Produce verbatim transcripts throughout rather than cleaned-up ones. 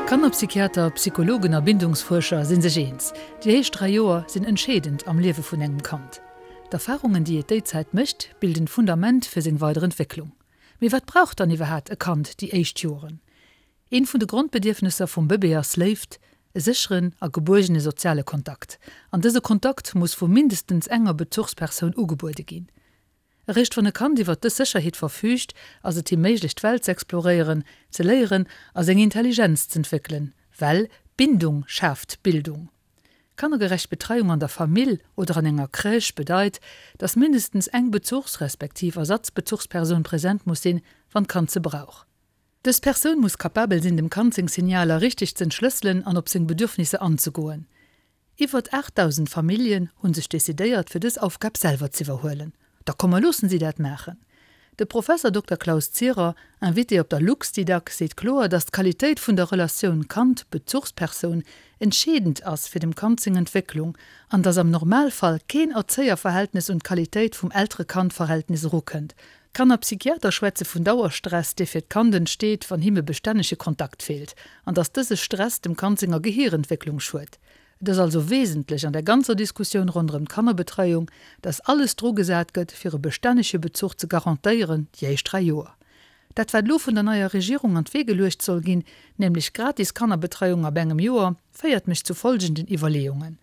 Kannerpsychiater, Psychologen a Bindungsfuerscher si sech eens, déi éischt dräi Joer sinn entscheedend am Liewe vun engem Kand. D'Erfarungen, déi et déi Zäit mécht, bilden d'Fundament fir seng weider Entwécklung. Mee wat brauch dann iwwerhaapt e Kand déi éischt Joren? Eent vun de Grondbedierfnesser vum Bëbee ass Léift, e sécheren a gebuergene soziale Kontakt. An dëse Kontakt muss vu mindestens enger Bezuchspersoun ugebuede ginn. Eréischt wann e Kand iwwer dës Sécherheet verfüügt, ass et him méiglech d'Welt z'exploréieren, ze léieren a seng Intelligenz z'entwéckelen, well Bindung schaaft Bildung. Kannergerecht Betreiung an der Famill oder an enger Crèche bedeit, dass mindestens eng Bezuchs respektiv Ersatzbezuchspersoun present muss sinn, wann d'Kand se brauch. Dës Persoun muss kapabel sinn, dem Kand seng Signaler richteg z'entschlësselen an op seng Bedürfnisser anzegoen. Iwwert aachtdausend Familljen hu sech decidéiert, fir dës Aufgab selwer z'iwwerhuelen. Da komm mer loossen si dat maachen. De Professer Dokter Klaus Zierer, Invité op der Luxdidac, seet kloer, datt d'Qualitéit vun der Relatioun Kand-Bezuchspersoun entscheedend ass fir dem Kand seng Entwécklung an datt am Normalfall keen Erzéierverhältnis un d'Qualitéit vum Eltere-Kand-Verhältnis erukënnt. Kannerpsychiater schwätze vun Dauerstress, dee fir d'Kand entsteet, wann him e bestännege Kontakt feelt, an datt dëse Stress dem Kand senger Gehirentwécklung schued. Et ass also wesentlech an der ganzer Diskussioun ronderëm d'Kannerbetreiung, dass alles dru gesat gëtt, fir e bestännege Bezuch ze garantéieren déi éischt dräi Joer. Dat wat elo vun der neier Regierung an d'Wee geluecht soll ginn, nämlech gratis Kannerbetreiung ab engem Joer, féiert mech zu folgenden Iwwerleeungen,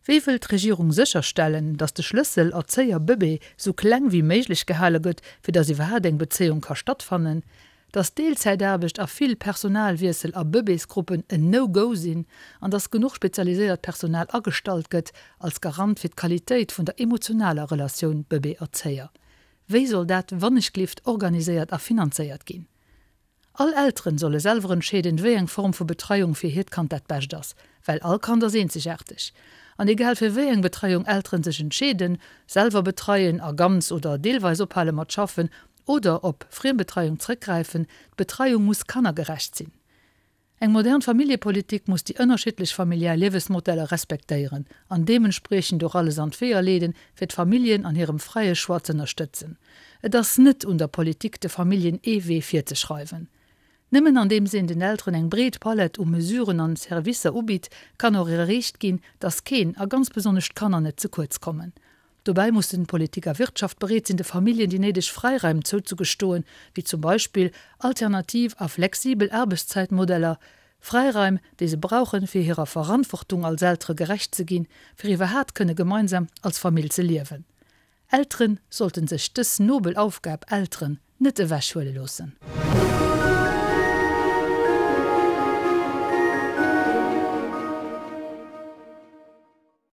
Wéi wëll d'Regierung sécherstellen, dass de Schlëssel Erzéier-Bëbee sou kleng wéi méiglech gehale gëtt, fir dass iwwerhaat eng Bezéiung ka stattfannen? Dass Deelzäitaarbecht a vill Personalwiessel a Bëbeesgruppen en No-Go sinn an dass genuch spezialiséiert Personal agestallt gëtt als Garant fir d'Qualitéit vun der emotionaler Relatioun Bëbee-Erzéier? Wéi soll dat wannechglift organiséiert a finanzéiert ginn? All Elteren solle selwer entscheeden, wéi eng Form vu Betreiung fir hiert Kand dat bescht ass, well all Kand ass eenzegaarteg. An egal fir wéi eng Betreiung Elteren sech entscheeden, selwer betreien a ganz oder deelweis ophale mat schaffen oder op Friembetreiung zréckgräifen, d'Betreiung muss kannergerecht sinn. Eng modern Familljepolitik muss déi ënnerschiddlech familiär Liewesmodeller respektéieren an deementspriechend och alles an d'Weeër leeden, fir d'Familljen an hirem fräie Choix z'ënnerstëtzen. Et ass net un der Politik, de Familljen ee Wee virzeschreiwen. Nëmmen andeems een den Elteren eng breet Palett u Mesuren an Servicer ubitt, kann och erreecht ginn, dass keen, a ganz besonnesch d'Kanner net ze kuerz kommen. Dobäi mussen Politik a Wirtschaft bereet sinn, de Familljen déi néideg Fräiraim zouzegestoen, wéi zum Beispill alternativ a flexibel Aarbechtszäitmodeller, Fräiraim, déi se brauchen, fir hirer Verantwortung als Eltere gerecht ze ginn, fir iwwerhaat kënne gemeinsam als Famill ze liewen. Eltere sollten sech dës nobel Aufgab Elteren net ewechhuele loossen.